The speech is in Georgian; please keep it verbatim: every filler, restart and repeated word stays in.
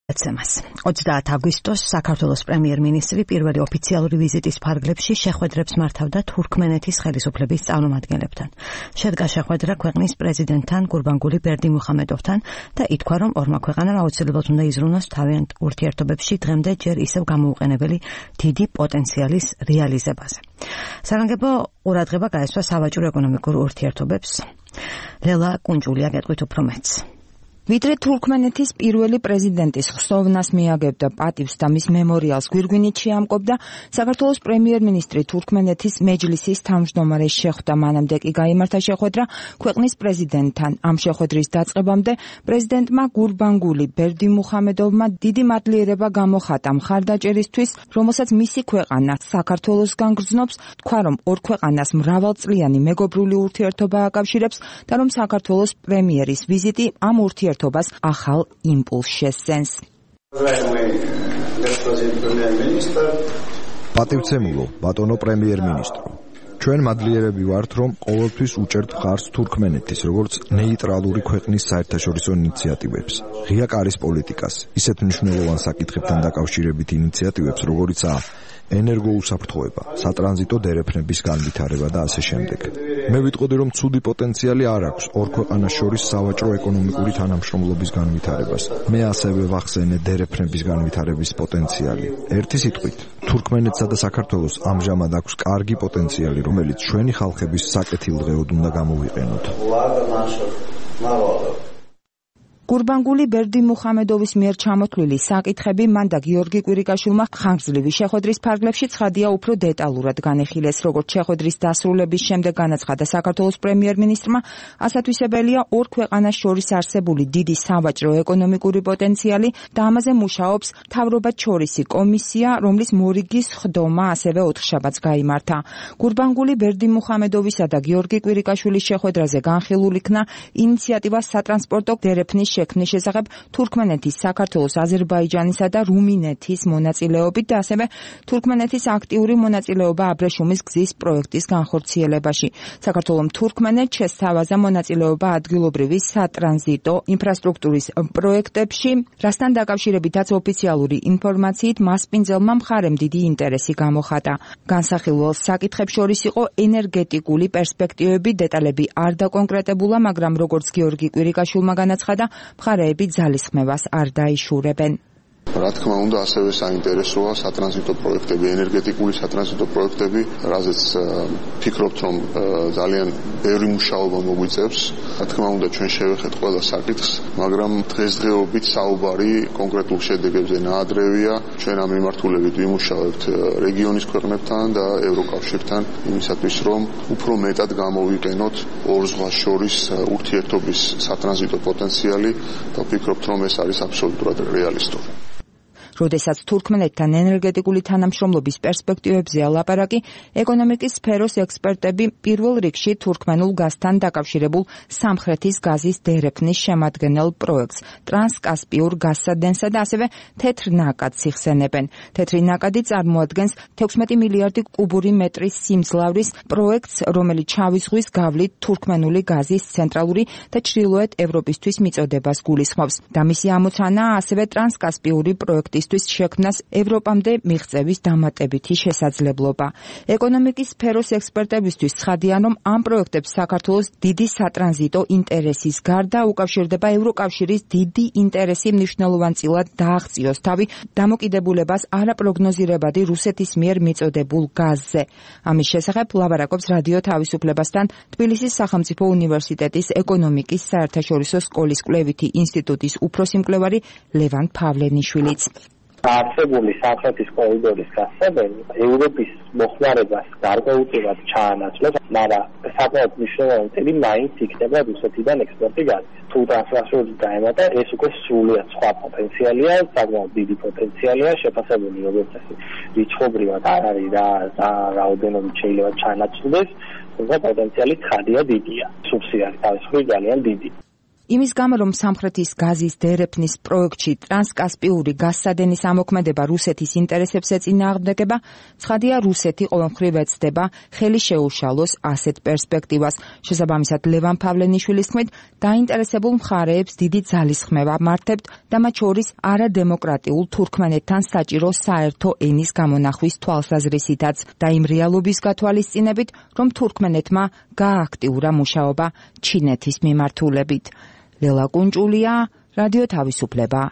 ოცდაათი აგვისტოს საქართველოს პრემიერ-მინისტრი პირველი ოფიციალური ვიზიტის ფარგლებში შეხვედრებს მართავდა თურქმენეთის ხელისუფლების წარმომადგენლებთან. შედგა შეხვედრა ქვეყნის პრეზიდენტთან გურბანგული ბერდიმუხამედოვთან და ითქვა, რომ ორმა ქვეყანამ აუცილებლად უნდა იზრუნოს თავიანთ ურთიერთობებში დღემდე ჯერ ისევ გამოუყენებელი დიდი პოტენციალის რეალიზებაზე. სარანგებო ყურადღება გაესვა სავაჭრო ეკონომიკურ ურთიერთობებს. ლელა კუნჯულია გეტყვით უფრო მეტს. ვიდრე თურქმენეთის პირველი პრეზიდენტის ხსოვნას მიაგებდა პატივს და მის მემორიალს გვირგვინით შეამკობდა, საქართველოს პრემიერ-მინისტრი თურქმენეთის მეჯლისის თავმჯდომარეს შეხვდა. მანამდე კი გაიმართა შეხვედრა ქვეყნის პრეზიდენტთან. ამ შეხვედრის დაწყებამდე პრეზიდენტმა გურბანგული ბერდიმუხამედოვმა დიდი მადლიერება გამოხატა მხარდაჭერისთვის, რომელსაც მისი ქვეყანა საქართველოსგან გრძნობს, თქვა, რომ ორ ქვეყანას მრავალწლიანი მეგობრული ურთიერთობა აკავშირებს და რომ საქართველოს პრემიერის ვიზიტი ამ ურთიერთობას ახალ იმპულსს შესცენს. პატივცემულო, ბატონო პრემიერ-მინისტრო, ჩვენ მადლიერები ვართ, რომ ყოველთვის უჭერთ მხარს თურქმენეთის, როგორც ნეიტრალური ქვეყნის საერთაშორისო ინიციატივებს, ღია კარის პოლიტიკას, ისეთ მნიშვნელოვან საკითხებთან დაკავშირებით ინიციატივებს, როგორიცაა ენერგოუსაფრთხოება, სატრანზიტო დერეფნების განვითარება და ასე შემდეგ. მე ვიტყოდი, რომ ცუდი პოტენციალი არ აქვს ორ ქვეყანას შორის სავაჭრო-ეკონომიკური თანამშრომლობის განვითარებას. მე ასევე ვახსენე დერეფნების განვითარების პოტენციალი. ერთი სიტყვით, თურქმენეთსა და საქართველოს ამჟამად აქვს კარგი პოტენციალი, რომელიც ჩვენი ხალხების საკეთილდღეოდ უნდა გამოვიყენოთ. გურბანგული ბერდიმუხამედოვის მიერ ჩამოთვლილი საკითხები მან და გიორგი კვირიკაშვილმა ხანგრძლივი შეხვედრის ფარგლებში ცხადია უფრო დეტალურად განეხილეს. როგორც შეხვედრის დასრულების შემდეგ განაცხადა საქართველოს პრემიერ-მინისტრმა, ასათვისებელია ორ ქვეყანას შორის არსებული დიდი სავაჭრო-ეკონომიკური პოტენციალი და ამაზე მუშაობს მთავრობათშორისი კომისია, რომლის მორიგის ხდომა ასევე ოთხშაბათს გაიმართა. გურბანგული ბერდიმუხამედოვისა და გიორგი კვირიკაშვილის შეხვედრაზე განხილულ იქნა ინიციატივა სატრანსპორტო დერეფნის შექმნის შესახებ თურქმენეთის, საქართველოს, აზერბაიჯანისა და რუმინეთის მონაწილეობით და ასევე თურქმენეთის აქტიური მონაწილეობა აბრეშუმის გზის პროექტის განხორციელებაში. საქართველოს თურქმენეთს შესთავაზა მონაწილეობა ადგილობრივი სატრანზიტო ინფრასტრუქტურის პროექტებში, რასთან დაკავშირებითაც ოფიციალური ინფორმაციით მასპინძელმა მხარემ დიდი ინტერესი გამოხატა. განსახილველ საკითხებს შორის იყო ენერგეტიკული პერსპექტივები, დეტალები არ დაკონკრეტებულა, მაგრამ როგორც გიორგი კვირიკაშვილმა განაცხადა, მხარეები ძალისხმევას არ დაიშურებენ. რა თქმა უნდა, ასევე საინტერესოა სატრანზიტო პროექტები, ენერგეტიკული სატრანზიტო პროექტები, რაზეც ფიქრობთ, რომ ძალიან ბევრი მუშაობა მოგვიწევს. რა თქმა უნდა, ჩვენ შევეხეთ ყველა საკითხს, მაგრამ დღესდღეობით საუბარი კონკრეტულ შედეგებზე ნაადრევია. ჩვენ ამ მიმართულებით ვიმუშავებთ რეგიონის ქვეყნებთან და ევროკავშირთან იმისათვის, რომ უფრო მეტად გამოვიყენოთ ორ ზღვას შორის ურთიერთობის სატრანზიტო პოტენციალი და ვფიქრობთ, რომ ეს არის აბსოლუტურად რეალისტური. როდესაც თურქმენეთთან ენერგეტიკული თანამშრომლობის პერსპექტივებზეა ლაპარაკი, ეკონომიკის სფეროს ექსპერტები პირველ რიგში თურქმენულ გაზთან დაკავშირებულ სამხრეთის გაზის დერეფნის შემადგენელ პროექტს, ტრანსკასპიურ გაზსადენსა და ასევე თეთრ ნაკადს იხსენებენ. თეთრი ნაკადი წარმოადგენს თექვსმეტი მილიარდი კუბური მეტრის სიმძლავრის პროექტს, რომელიც შავი ზღვის გავლით თურქმენული გაზის ცენტრალური და ჩრდილოეთ ევროპისთვის მიწოდებას გულისხმობს. და მისი ამოცანაა ასევე ტრანსკასპიური პროექტის შექმნას ევროპამდე მიღწევის დამატებითი შესაძლებლობა. ეკონომიკის სფეროს ექსპერტებისთვის ცხადია, რომ ამ პროექტებს საქართველოს დიდი სატრანზიტო ინტერესის გარდა უკავშირდება ევროკავშირის დიდი ინტერესი მნიშვნელოვანწილად დააღწიოს თავი დამოკიდებულებას არაპროგნოზირებადი რუსეთის მიერ მიწოდებულ გაზზე. ამის შესახებ ლაპარაკობს რადიო თავისუფლებასთან თბილისის სახელმწიფო უნივერსიტეტის ეკონომიკის საერთაშორისო სკოლის კვლევითი ინსტიტუტის უფროსი მკვლევარი ლევან ფავლენიშვილიც. არსებული სამხრეთის კორიდორის გასწავლება ევროპის მოხმარებას გარკვეულწილად ჩაანაცვლებს, მაგრამ საკმაოდ მნიშვნელოვანი წილი მაინც იქნება რუსეთიდან ექსპორტი გაზის. თუ ტრანსფერს დაემატა, ეს უკვე სრულიად სხვა პოტენციალია, საკმაოდ დიდი პოტენციალია, შეფასებული როგორც წესი რიცხობრივად არ არის რა რაოდენობით შეიძლება ჩაანაცვლდეს, თუმცა პოტენციალი ცხადია დიდია. სუბსიდიარი თავისუფლად ძალიან დიდი. იმის გამო, რომ სამხრეთის გაზის დერეფნის პროექტში ტრანსკასპიური გაზსადენის ამოქმედება რუსეთის ინტერესებს ეწინააღმდეგება, ცხადია, რუსეთი ყოველმხრივ ეცდება ხელი შეუშალოს ასეთ პერსპექტივას. შესაბამისად, ლევან ფავლენიშვილის თქმით, დაინტერესებულ მხარეებს დიდი ძალისხმევა მართებთ და მათ შორის არადემოკრატიულ თურქმენეთთან საჭირო საერთო ენის გამონახვის თვალსაზრისითაც და იმ რეალობის გათვალისწინებით, რომ თურქმენეთმა გააქტიურა მუშაობა ჩინეთის მიმართულებით. ლელა კუნჭულია, რადიო თავისუფლება.